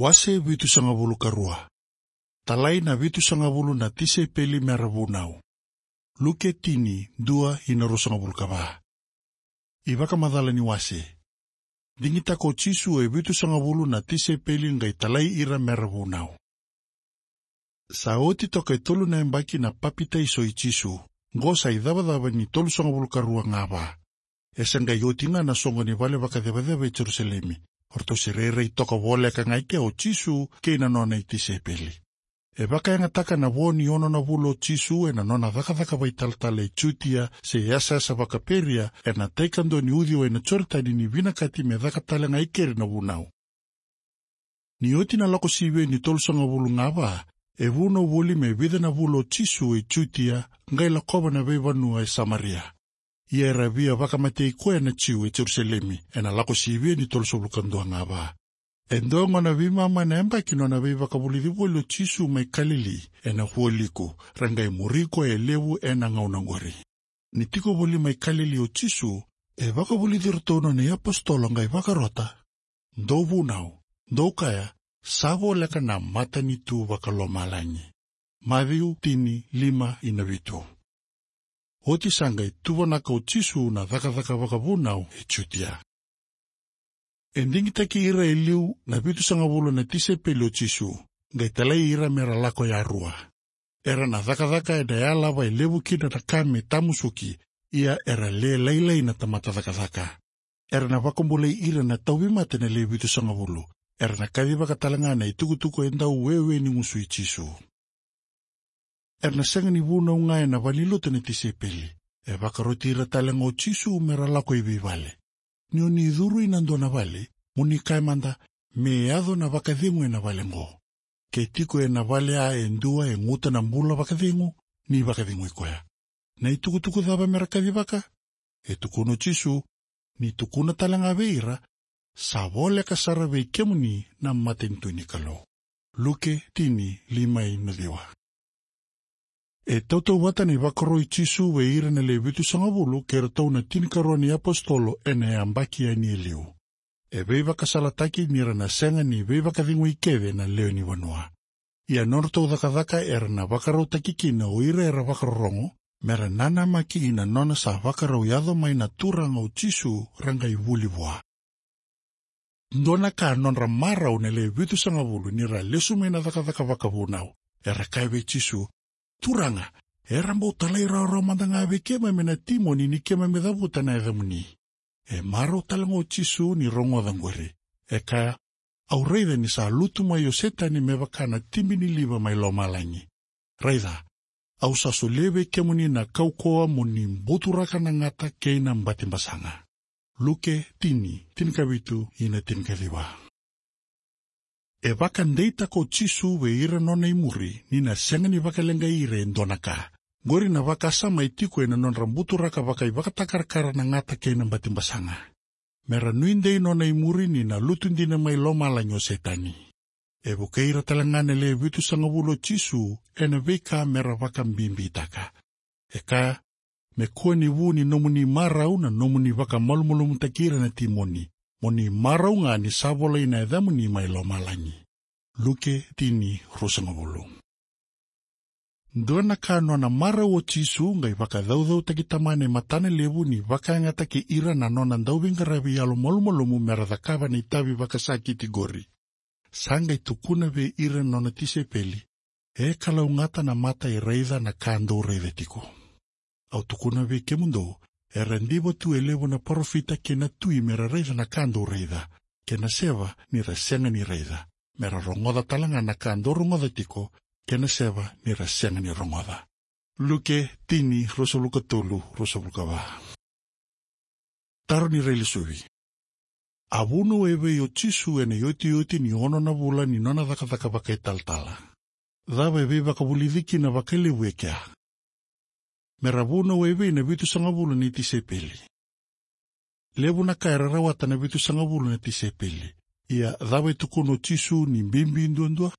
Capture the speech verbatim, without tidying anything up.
Wase vitusagavulu ka rua. Talai na vitusagavulu na tisaipeli mera vunau. Luke tini, dua ina ruasagavulu ka va. iVakamacala ni wase. Digitaka o Jisu e vitusagavulu na tisaipeli qai talai ira mera vunau. Sa oti toka e tolu na yabaki na papitaiso i Jisu, qo sa icavacava ni tolusagavulu ka rua ga va. E se qai oti ga na soqo ni vale vakacevaceva e Jerusalemi. O ratou se rairai toka voleka ga i kea o Jisu kei na nona itisaipeli. E vakayagataka na vo ni ono na vula o Jisu ena nona cakacaka vakaitalatala e Jutia se yasayasa vakaPeria, ena tai kadua ni uciwai na Joritani ni vinakati me caka tale ga i keri na vunau. Ni oti na Lako Sivia ni tolusagavulu ga va, e vunau voli me vica na vula o Jisu e Jutia, qai lakova na veivanua e Samaria. Ia era via vakamatei koya na Jiu e Jerusalemi, ena Lako Sivia ni tolusagavulu ka dua ga va. E dua gona veimama na yabaki nona veivakavulici voli o Jisu mai Kalili, ena vualiku, ra qai muri koya e levu ena gauna qori. Ni tiko voli mai Kalili o Jisu, e vakavulici iratou nona iapositolo qai vakarota: Dou vunau, dou kaya, sa voleka na matanitu vakalomalagi. Maciu tini, lima ina vitu. Oti sa qai tuvanaka o Jisu na cakacaka vakavunau e Jutia. E digitaki ira e liu na vitusagavulu na tisaipeli o Jisu, qai talai ira mera lako yarua. Era na cakacaka ena yalava e levu kina na ka me tamusuki, ia era le lailai na tamata cakacaka. Era na vakabulai ira na tauvimate na le vitusagavulu. Era na kacivaka tale ga na itukutuku e dau wewe ni gusu i Jisu. Era na sega ni vunau ga ena valenilotu na tisaipeli. E vakaroti ira tale ga o Jisu mera lako i veivale. Ni oni curu ina dua na vale, mo ni kaya mada: Me yaco na vakacegu ena vale qo. Ke tiko ena vale a e dua e guta na bula vakacegu, ni vakacegui koya. Na itukutuku cava mera kacivaka? E tukuna o Jisu: Ni tukuna tale ga vei ira: Sa voleka sara vei kemuni na matanitu ni Kalou. Luke tini, lima ina ciwa. E tautauvata na ivakaro i Jisu vei ira na le vitusagavulu kei ratou na tinikarua ni apositolo ena yabaki yani e liu. E veivakasalataki ni ra na sega ni veivakacegui kece na lewe ni vanua. Ia nodratou cakacaka era na vakarautaki kina o ira era vakarorogo, mera nanamaki ina nona sa vakarau yaco mai na Turaga o Jisu ra qai vuli vua. Dua na ka nodra marau na le vitusagavulu ni ra lesu mai na cakacaka vakavunau. Era kaya vei Jisu: Turaga, era bau talairawarawa mada ga vei keimami na timoni ni keimami cavuta na yacamuni. E marau tale ga o Jisu ni rogoca qori. E kaya: Au raica ni sa lutu mai o Setani me vaka na tibi ni liva mai lomalagi. Raica, au sa solia vei kemuni na kaukauwa mo ni buturaka na gata kei na batibasaga. Luke tini, tinikavitu ina tinikaciwa. E vakadeitaka o Jisu vei ira nona imuri ni na sega ni vakaleqai ira e dua na ka. Qori na vakasama e tiko ena nodra buturaka vakaivakatakarakara na gata kei na batibasaga. Mera nuidei nona imuri ni na lutu dina mai lomalagi o Setani. E vukei ira tale ga na le vitusagavulu o Jisu ena veika mera vakabibitaka. E kaya: Me kua ni vu ni nomuni marau na nomuni vakamalumalumutaki ira na timoni. Mo ni marau ga ni sa volai na yacamuni mai lomalagi. Luke tini, ruasagavulu. Dua na ka nona marau o Jisu qai vakacaucautaki Tamana e matanalevu ni vakayagataki ira na nona dauveiqaravi yalomalumalumu mera cakava na itavi vakasakiti qori. Sa qai tukuna vei ira na nona tisaipeli: E kalougata na mata e raica na ka dou raica tiko. Au tukuna vei kemudou, era diva tu e levu na parofita kei na tui mera raica na ka dou raica, kei na seva ni ra sega ni raica, mera rogoca tale ga na ka dou rogoca tiko, kei na seva ni ra sega ni rogoca. Luke tini, ruasagavulu ka tolu, ruasagavulu ka va. Taro ni railesuvi. A vunau evei o Jisu ena iotioti ni ono na vula ni nona cakacaka vakaitalatala? Cava e veivakavulici kina vakalevu e kea? Mera vunau evei na vitusagavulu ni tisaipeli? Levu na ka era rawata na vitusagavulu na tisaipeli. Ia cava e tukuna o Jisu ni bibi duadua?